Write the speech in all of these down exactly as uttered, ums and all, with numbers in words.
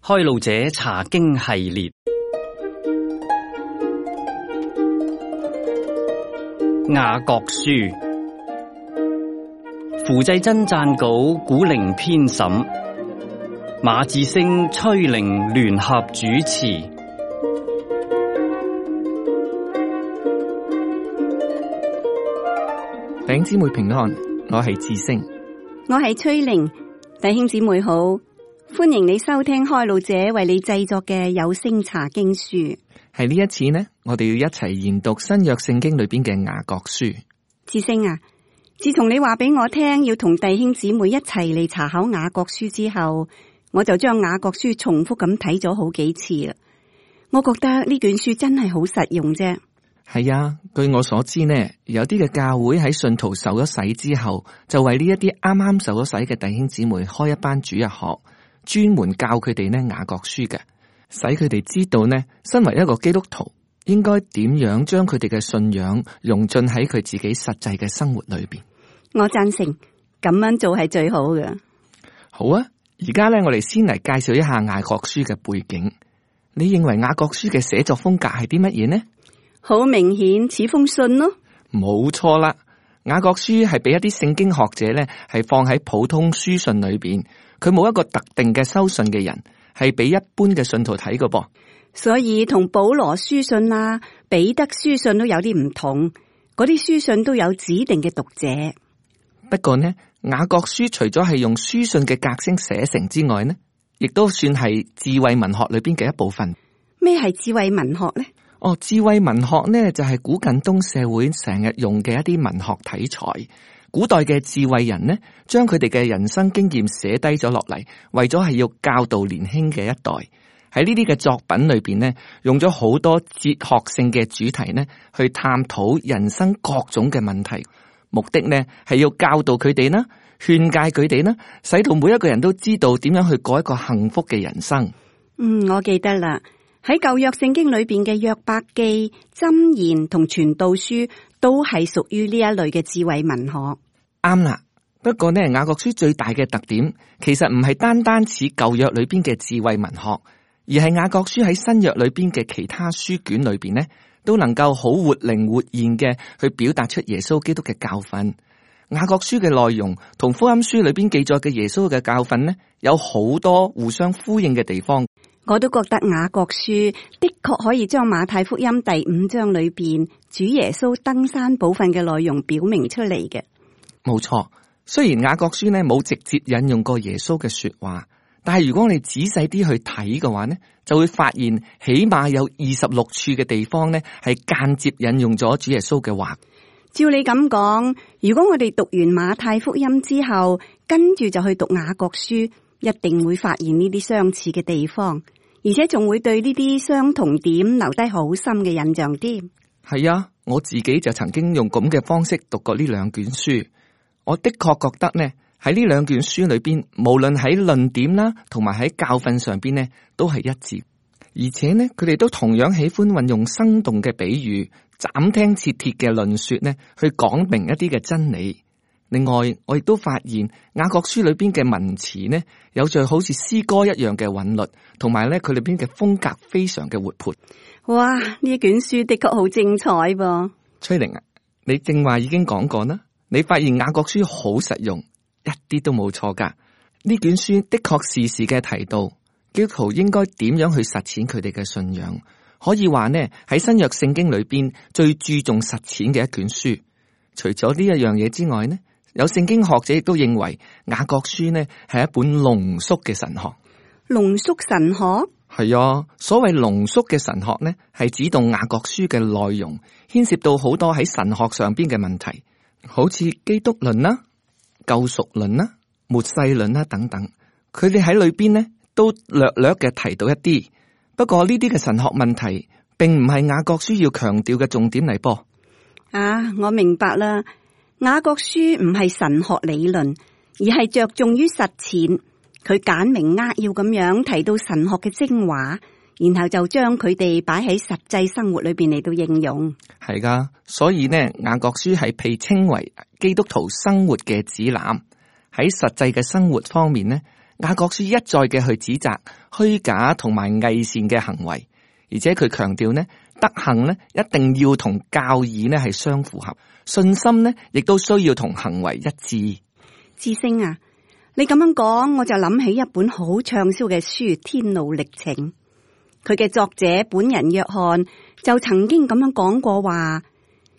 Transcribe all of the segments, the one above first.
開路者查經系列，雅各書，符濟真撰稿，古靈編審，馬智星、崔玲聯合主持。弟兄姊妹平安，我係智星，我係崔玲。弟兄姊妹好，歡迎你收聽開路者為你製作嘅有聲查經書。係呢一次呢，我哋要一齊研讀新約聖經裏邊嘅雅各書。智星啊，自從你話俾我聽要同弟兄姊妹一齊嚟查考雅各書之後，我就將雅各書重複咁睇咗好幾次啦。我覺得呢卷書真係好實用啫。係啊，據我所知呢，有啲嘅教會喺信徒受咗洗之後，就為呢一啲啱啱受咗洗嘅弟兄姊妹開一班主日學，專門教佢哋呢雅各書嘅，使佢哋知道呢，身為一個基督徒，應該點樣將佢哋嘅信仰融進喺佢自己實際嘅生活裏邊。我贊成，咁樣做係最好嘅。好啊，而家呢，我哋先嚟介紹一下雅各書嘅背景。你認為雅各書嘅寫作風格係啲乜嘢呢？好明顯似封信咯。冇錯啦，雅各書係俾一啲聖經學者咧，係放喺普通書信裏邊，佢冇一個特定嘅收信嘅人，係俾一般嘅信徒睇嘅噃。所以同保羅書信啊、彼得書信都有啲唔同，嗰啲書信都有指定嘅讀者。不過呢，雅各書除咗係用書信嘅格式寫成之外呢，亦都算係智慧文學裏邊嘅一部分。咩係智慧文學呢？哦，智慧文學呢就係、是、古近東社會成日用嘅一啲文學題材。古代嘅智慧人呢，將佢哋嘅人生經驗寫低咗落嚟，為咗係要教導年輕嘅一代。喺呢啲嘅作品裏邊呢，用咗好多哲學性嘅主題呢，去探討人生各種嘅問題。目的呢係要教導佢哋啦，勸誡佢哋啦，使到每一個人都知道點樣去過一個幸福嘅人生。嗯，我記得啦。喺舊約聖經裏邊嘅約伯記、箴言同傳道書都係屬於呢一類嘅智慧文學。啱啦，不過呢，雅各書最大嘅特點其實唔係單單似舊約裏邊嘅智慧文學，而係雅各書喺新約裏邊嘅其他書卷裏邊呢，都能夠好活靈活現嘅去表達出耶穌基督嘅教訓。雅各書嘅內容同福音書裏邊記載嘅耶穌嘅教訓呢，有好多互相呼應嘅地方。我都覺得雅各書的確可以將馬太福音第五章裏邊主耶穌登山寶訓嘅內容表明出嚟嘅。冇錯，雖然雅各書呢冇直接引用過耶穌嘅說話，但係如果你仔細啲去睇嘅話呢，就會發現起碼有二十六處嘅地方呢係間接引用咗主耶穌嘅話。照你咁講，如果我哋讀完馬太福音之後，跟住就去讀雅各書，一定會發現呢啲相似嘅地方，而且仲會對呢啲相同點留低好深嘅印象添。係啊，我自己就曾經用咁嘅方式讀過呢兩卷書，我的確覺得呢喺呢兩卷書裏邊，無論喺論點啦，同埋喺教訓上邊呢，都係一致，而且呢，佢哋都同樣喜歡運用生動嘅比喻、斬釘截鐵嘅論說呢，去講明一啲嘅真理。另外，我亦都發現雅各書裏邊嘅文詞呢，有着好似詩歌一樣嘅韻律，同埋咧佢裏邊嘅風格非常嘅活潑。哇！呢卷書的確好精彩噃。崔玲啊，你正話已經講過啦，你發現雅各書好實用，一啲都冇錯噶。呢卷書的確時時嘅提到基督徒應該點樣去實踐佢哋嘅信仰，可以話呢喺新約聖經裏邊最注重實踐嘅一卷書。除咗呢一樣嘢之外呢，有聖經學者亦都認為雅各書呢係一本濃縮嘅神學。濃縮神學？係啊，所謂濃縮嘅神學呢，係指動雅各書嘅內容牽涉到好多喺神學上邊嘅問題，好似基督論啦、救贖論啦、末世論啦等等。佢哋喺裏邊呢都略略嘅提到一啲，不過呢啲嘅神學問題並唔係雅各書要強調嘅重點嚟噃。啊，我明白啦。雅各書唔係神學理論，而係着重於實踐。佢簡明扼要咁樣提到神學嘅精華，然後就將佢哋擺喺實際生活裏邊嚟到應用。係噶，所以呢，雅各書係被稱為基督徒生活嘅指南。喺實際嘅生活方面呢，雅各書一再嘅去指責虛假同埋偽善嘅行為，而且佢強調呢，德行呢一定要同教義呢係相符合，信心呢亦都需要同行為一致。智星啊，你咁樣講，我就諗起一本好暢銷嘅書《天路歷程》，佢嘅作者本人約翰就曾經咁樣講過話，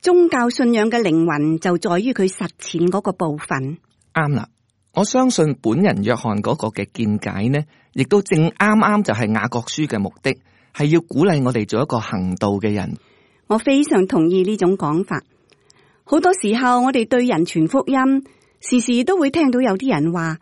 宗教信仰嘅靈魂就在於佢實踐嗰個部分。啱啦。我相信本人約翰嗰個嘅見解呢，亦都正啱啱就係雅各書嘅目的，係要鼓勵我哋做一個行道嘅人。我非常同意呢種講法。好多時候我哋對人傳福音，時時都會聽到有啲人話，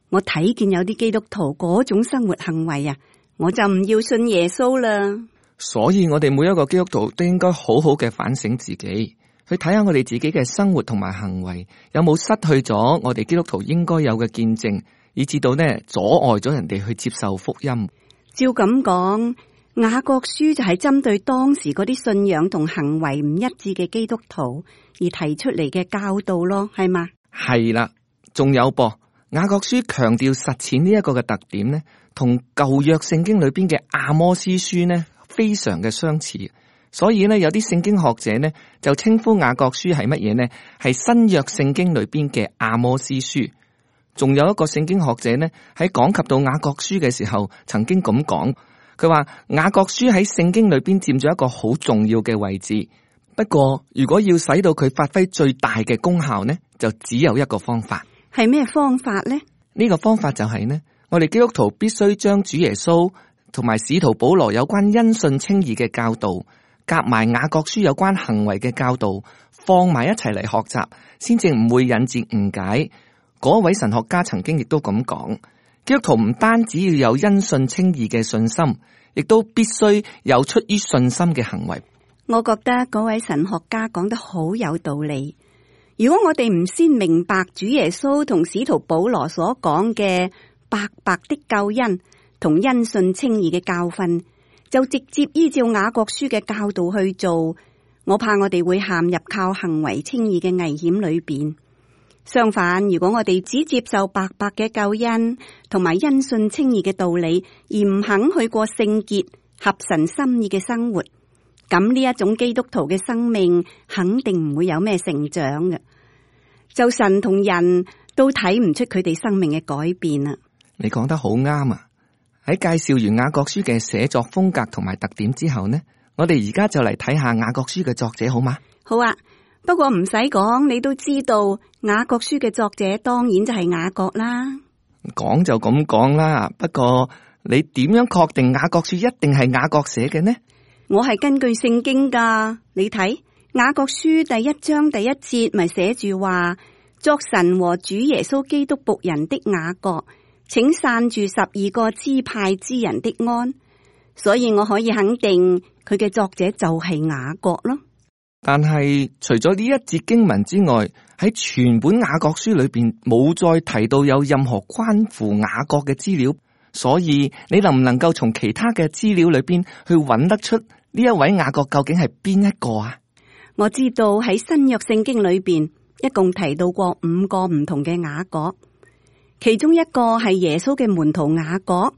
我睇見有啲基督徒嗰種生活行為啊，我就唔要信耶穌啦。所以我哋每一個基督徒都應該好好嘅反省自己，去睇下我哋自己嘅生活同埋行為有冇失去咗我哋基督徒應該有嘅見證，以至到呢阻礙咗人哋去接受福音。照咁講，雅各書就係針對當時嗰啲信仰同行為唔一致嘅基督徒而提出嚟嘅教導咯，係嘛？係啦，仲有噃，雅各書強調實踐呢一個嘅特點呢，同舊約聖經裏邊嘅阿摩司書呢非常嘅相似。所以呢，有啲聖經學者呢就稱呼雅各書係乜嘢呢？係新約聖經裏邊嘅阿摩司書。仲有一個聖經學者呢喺講及到雅各書嘅時候，曾經咁講，佢話雅各書喺聖經裏邊佔咗一個好重要嘅位置。不過如果要使到佢發揮最大嘅功效呢，就只有一個方法。係咩方法呢？呢個方法就係呢，我哋基督徒必須將主耶穌同埋使徒保羅有關因信稱義嘅教導，夾埋雅各書有關行為嘅教導，放埋一齊嚟學習，先至唔會引致誤解。嗰位神學家曾經亦都咁講，基督徒唔單止要有因信稱義嘅信心，亦都必須有出於信心嘅行為。我覺得嗰位神學家講得好有道理。如果我哋唔先明白主耶穌同使徒保羅所講嘅白白的救恩同因信稱義嘅教訓，就直接依照雅各書嘅教導去做，我怕我哋會陷入靠行為稱義嘅危險裏邊。相反，如果我哋只接受白白嘅救恩同埋因信稱義嘅道理，而唔肯去過聖潔合神心意嘅生活，咁呢一種基督徒嘅生命肯定唔會有咩成長嘅。就神同人都睇唔出佢哋生命嘅改變啊！你講得好啱啊！喺介紹完雅各書嘅寫作風格同埋特點之後呢，我哋而家就嚟睇下雅各書嘅作者好嗎？好啊，不過唔使講，你都知道雅各書嘅作者當然就係雅各啦。講就咁講啦，不過你點樣確定雅各書一定係雅各寫嘅呢？我係根據聖經噶，你睇雅各書第一章第一節咪寫住話，作神和主耶穌基督僕人的雅各，請散住十二個支派之人的安。所以我可以肯定佢嘅作者就係雅各咯。但係除咗呢一節經文之外，喺全本雅各書裏邊冇再提到有任何關乎雅各嘅資料。所以你能唔能夠從其他嘅資料裏邊去揾得出呢一位雅各究竟係邊一個啊？我知道喺新約聖經裏邊一共提到過五個唔同嘅雅各，其中一個係耶穌嘅門徒雅各，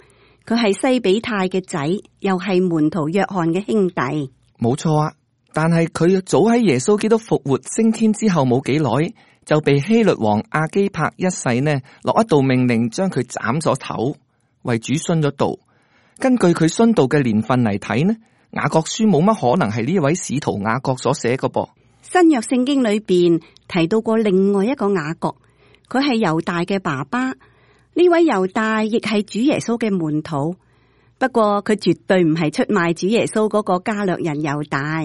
佢係西比泰嘅仔，又係門徒約翰嘅兄弟。冇錯啊，但係佢早喺耶穌基督復活升天之後冇幾耐，就被希律王亞基帕一世呢落一道命令，將佢斬咗頭，為主殉咗道。根據佢殉道嘅年份嚟睇呢，雅各書冇乜可能係呢位使徒雅各所寫嘅噃。新約聖經裏邊提到過另外一個雅各，佢係猶大嘅爸爸。呢位猶大亦係主耶穌嘅門徒，不過佢絕對唔係出賣主耶穌嗰個加略人猶大。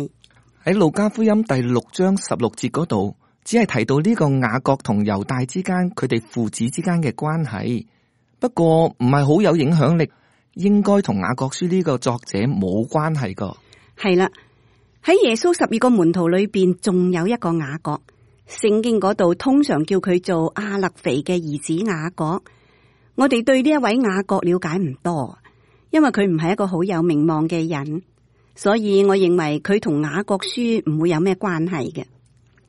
喺路加福音第六章十六節嗰度，只係提到呢個雅各同猶大之間佢哋父子之間嘅關係，不過唔係好有影響力，應該同雅各書呢個作者冇關係噶。係啦，喺耶穌十二個門徒裏邊，仲有一個雅各，聖經嗰度通常叫佢做亞勒腓嘅兒子雅各。我哋對呢一位雅各了解唔多，因為佢唔係一個好有名望嘅人，所以我認為佢同雅各書唔會有咩關係嘅。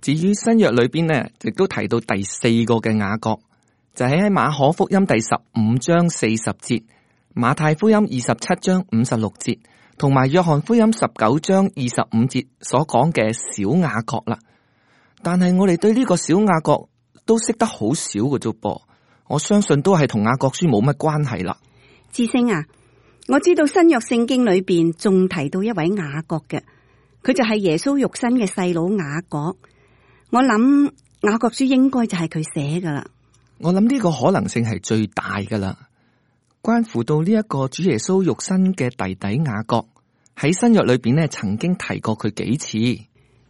至於新約裏邊呢，亦都提到第四個嘅雅各，就係喺馬可福音第十五章四十節、馬太福音二十七章五十六節，同埋約翰福音十九章二十五節所講嘅小雅各啦。但係我哋對呢個小雅各都識得好少嘅啫噃，我相信都係同雅各書冇乜關係啦。智星啊，我知道新約聖經裏邊仲提到一位雅各嘅，佢就係耶穌肉身嘅細佬雅各。我諗雅各書應該就係佢寫噶啦。我諗呢個可能性係最大噶啦。關乎到呢一個主耶穌肉身嘅弟弟雅各，喺新約裏邊呢曾經提過佢幾次。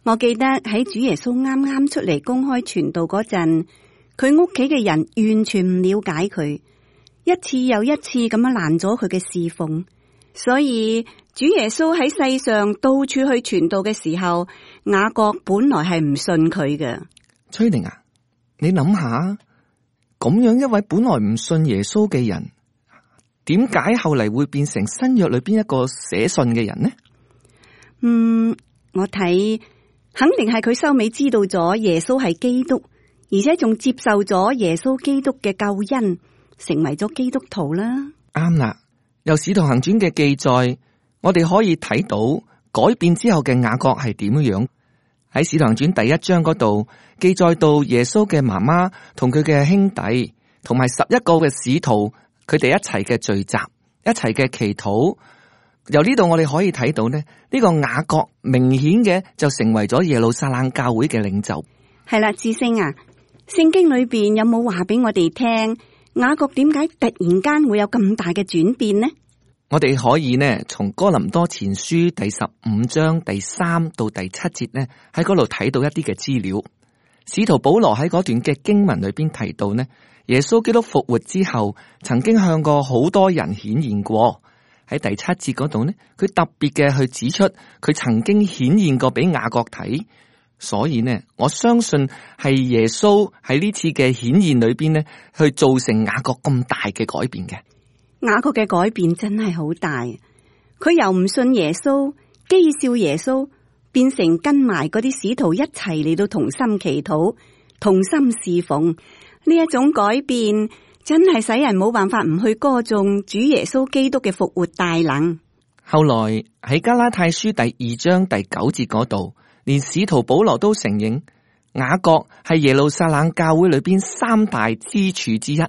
我記得喺主耶穌啱啱出嚟公開傳道嗰陣，佢屋企嘅人完全唔了解佢，一次又一次咁樣攔咗佢嘅侍奉。所以主耶穌喺世上到處去傳道嘅時候，雅各本來係唔信佢嘅。崔玲啊，你諗下，咁樣一位本來唔信耶穌嘅人，點解後嚟會變成新約裏邊一個寫信嘅人呢？嗯，我睇肯定係佢收尾知道咗耶穌係基督，而且仲接受咗耶穌基督嘅救恩，成為咗基督徒啦。啱啦，由使徒行傳嘅記載，我哋可以睇到改變之後嘅雅各係點樣。喺使徒行傳第一章嗰度記載到耶穌嘅媽媽同佢嘅兄弟同埋十一個嘅使徒，佢哋一齊嘅聚集，一齊嘅祈禱。由呢度我哋可以睇到呢，呢個雅各明顯嘅就成為咗耶路撒冷教會嘅領袖。係啦，智星啊，聖經裏邊有冇話俾我哋聽，雅各點解突然間會有咁大嘅轉變呢？我哋可以呢，從哥林多前書第十五章第三到第七節呢，喺嗰度睇到一啲嘅資料。使徒保羅喺嗰段嘅經文裏邊提到呢，耶穌基督復活之後，曾經向過好多人顯現過。喺第七節嗰度呢，佢特別嘅去指出，佢曾經顯現過俾雅各睇。所以呢，我相信係耶穌喺呢次嘅顯現裏邊呢，去造成雅各咁大嘅改變嘅。雅各嘅改變真係好大，佢由唔信耶穌、譏笑耶穌，變成跟埋嗰啲使徒一齊嚟到同心祈禱、同心侍奉。呢一種改變真係使人冇辦法唔去歌頌主耶穌基督嘅復活大能。後來喺加拉太書第二章第九節嗰度，連使徒保羅都承認雅各係耶路撒冷教會裏邊三大支柱之一。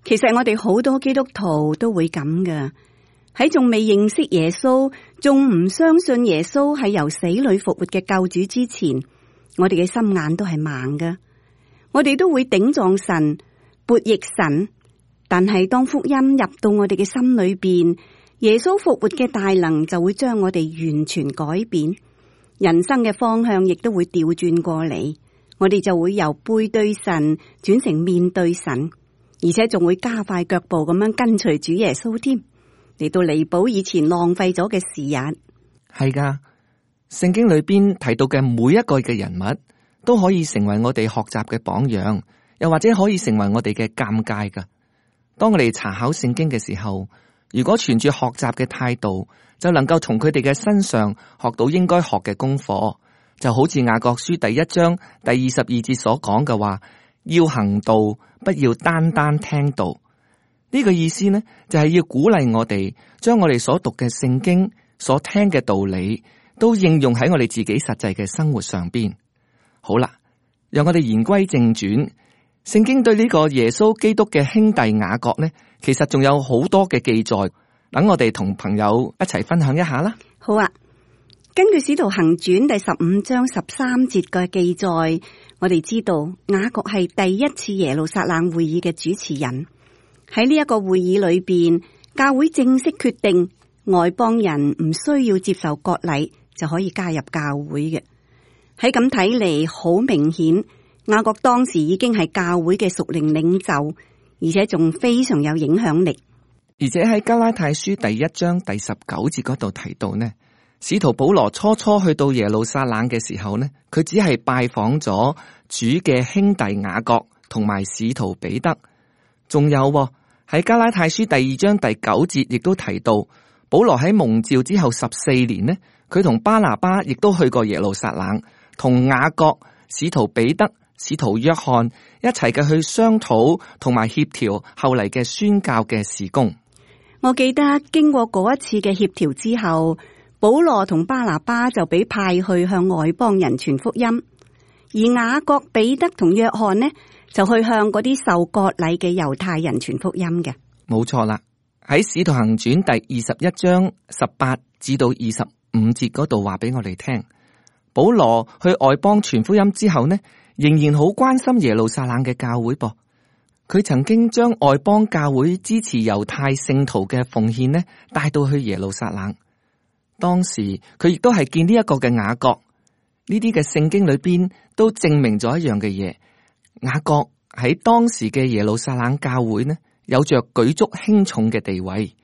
其實我哋好多基督徒都會咁㗎，喺仲未認識耶穌、仲唔相信耶穌係由死裏復活嘅救主之前，我哋嘅心眼都係盲㗎，我哋都會頂撞神、悖逆神。但係當福音入到我哋嘅心裏邊，耶穌復活嘅大能就會將我哋完全改變，人生嘅方向亦都會調轉過嚟，我哋就會由背對神轉成面對神。而且仲會加快腳步咁樣跟隨主耶穌添，嚟到彌補以前浪費咗嘅時日。係噶，聖經裏邊提到嘅每一個嘅人物都可以成為我哋學習嘅榜樣，又或者可以成為我哋嘅鑒戒噶。當我哋查考聖經嘅時候，如果存住學習嘅態度，就能夠從佢哋嘅身上學到應該學嘅功課。就好似雅各書第一章第二十二節所講嘅話，要行道，不要單單聽道。呢個意思呢，就係要鼓勵我哋將我哋所讀嘅聖經、所聽嘅道理，都應用喺我哋自己實際嘅生活上邊。好啦，讓我哋言歸正傳。聖經對呢個耶穌基督嘅兄弟雅各呢，其實仲有好多嘅記載，等我哋同朋友一齊分享一下啦。好啊，根據使徒行傳第十五章十三節嘅記載，我哋知道雅各係第一次耶路撒冷會議嘅主持人。喺呢一個會議裏邊，教會正式決定外邦人唔需要接受割禮就可以加入教會嘅。喺咁睇嚟，好明顯雅各當時已經係教會嘅屬靈領袖，而且仲非常有影響力。而且喺加拉太書第一章第十九節嗰度提到呢，使徒保羅初初去到耶路撒冷嘅時候呢，佢只係拜訪咗主嘅兄弟雅各同埋使徒彼得。仲有喺加拉太書第二章第九節亦都提到，保羅喺蒙召之後十四年呢，佢同巴拿巴亦都去過耶路撒冷，同雅各、使徒彼得、使徒約翰一齊嘅去商討同埋協調後嚟嘅宣教嘅事工。我記得經過嗰一次嘅協調之後，保羅同巴拿巴就俾派去向外邦人傳福音，而雅各、彼得同約翰呢就去向嗰啲受割禮嘅猶太人傳福音嘅。冇錯啦，喺使徒行傳第二十一章十八至到二十五節嗰度話俾我哋聽，保羅去外邦傳福音之後呢，仍然好關心耶路撒冷嘅教會噃。佢曾經將外邦教會支持猶太聖徒嘅奉獻呢帶到去耶路撒冷。當時佢亦都係見呢一個嘅雅各，呢啲嘅聖經裏邊都證明咗一樣嘅嘢。雅各喺當時嘅耶路撒冷教會呢，有着舉足輕重嘅地位。